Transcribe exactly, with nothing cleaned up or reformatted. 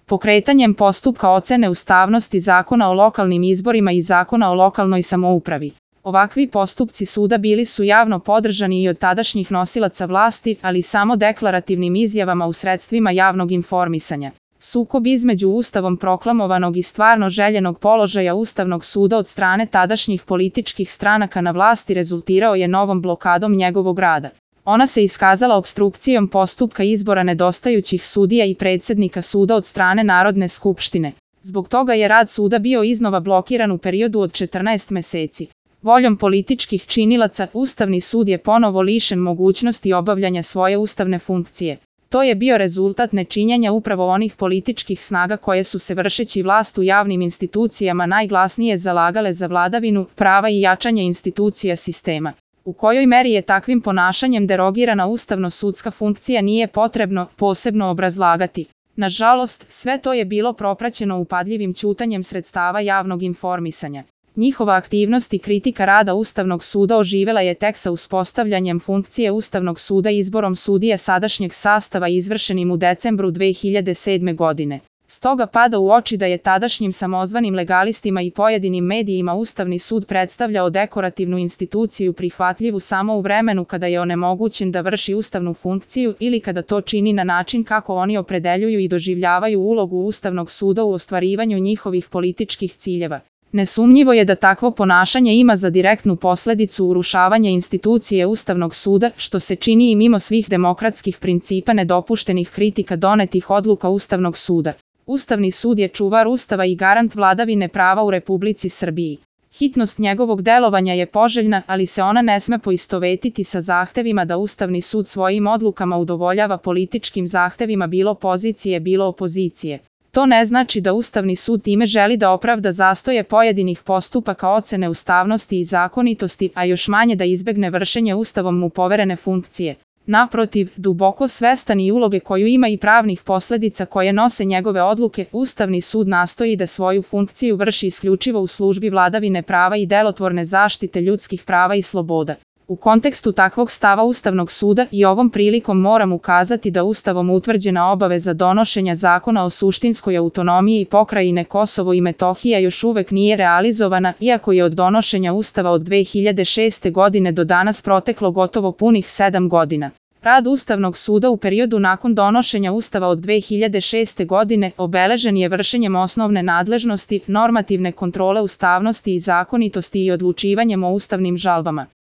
pokretanjem postupka ocene ustavnosti Zakona o lokalnim izborima i Zakona o lokalnoj samoupravi. Ovakvi postupci suda bili su javno podržani i od tadašnjih nosilaca vlasti, ali samo deklarativnim izjavama u sredstvima javnog informisanja. Sukob između ustavom proklamovanog i stvarno željenog položaja Ustavnog suda od strane tadašnjih političkih stranaka na vlasti rezultirao je novom blokadom njegovog rada. Ona se iskazala opstrukcijom postupka izbora nedostajućih sudija i predsjednika suda od strane Narodne skupštine. Zbog toga je rad suda bio iznova blokiran u periodu od četrnaest meseci. Voljom političkih činilaca, Ustavni sud je ponovo lišen mogućnosti obavljanja svoje ustavne funkcije. To je bio rezultat nečinjenja upravo onih političkih snaga koje su se vršeći vlast u javnim institucijama najglasnije zalagale za vladavinu prava i jačanje institucija sistema. U kojoj meri je takvim ponašanjem derogirana ustavno-sudska funkcija nije potrebno posebno obrazlagati. Nažalost, sve to je bilo propraćeno upadljivim ćutanjem sredstava javnog informisanja. Njihova aktivnost i kritika rada Ustavnog suda oživela je tek sa uspostavljanjem funkcije Ustavnog suda izborom sudija sadašnjeg sastava izvršenim u decembru dve hiljade sedme. godine. Stoga pada u oči da je tadašnjim samozvanim legalistima i pojedinim medijima Ustavni sud predstavljao dekorativnu instituciju prihvatljivu samo u vremenu kada je onemogućen da vrši ustavnu funkciju ili kada to čini na način kako oni opredeljuju i doživljavaju ulogu Ustavnog suda u ostvarivanju njihovih političkih ciljeva. Nesumnjivo je da takvo ponašanje ima za direktnu posledicu urušavanje institucije Ustavnog suda, što se čini i mimo svih demokratskih principa nedopuštenih kritika donetih odluka Ustavnog suda. Ustavni sud je čuvar Ustava i garant vladavine prava u Republici Srbiji. Hitnost njegovog delovanja je poželjna, ali se ona ne sme poistovetiti sa zahtevima da Ustavni sud svojim odlukama udovoljava političkim zahtevima bilo pozicije bilo opozicije. To ne znači da Ustavni sud time želi da opravda zastoje pojedinih postupaka ocene ustavnosti i zakonitosti, a još manje da izbegne vršenje Ustavom mu poverene funkcije. Naprotiv, duboko svestan i uloge koju ima i pravnih posledica koje nose njegove odluke, Ustavni sud nastoji da svoju funkciju vrši isključivo u službi vladavine prava i delotvorne zaštite ljudskih prava i sloboda. U kontekstu takvog stava Ustavnog suda i ovom prilikom moram ukazati da Ustavom utvrđena obaveza donošenja zakona o suštinskoj autonomiji pokrajine Kosovo i Metohija još uvek nije realizovana, iako je od donošenja Ustava od dve hiljade šeste. godine do danas proteklo gotovo punih sedam godina. Rad Ustavnog suda u periodu nakon donošenja Ustava od dve hiljade šeste. godine obeležen je vršenjem osnovne nadležnosti, normativne kontrole ustavnosti i zakonitosti i odlučivanjem o ustavnim žalbama.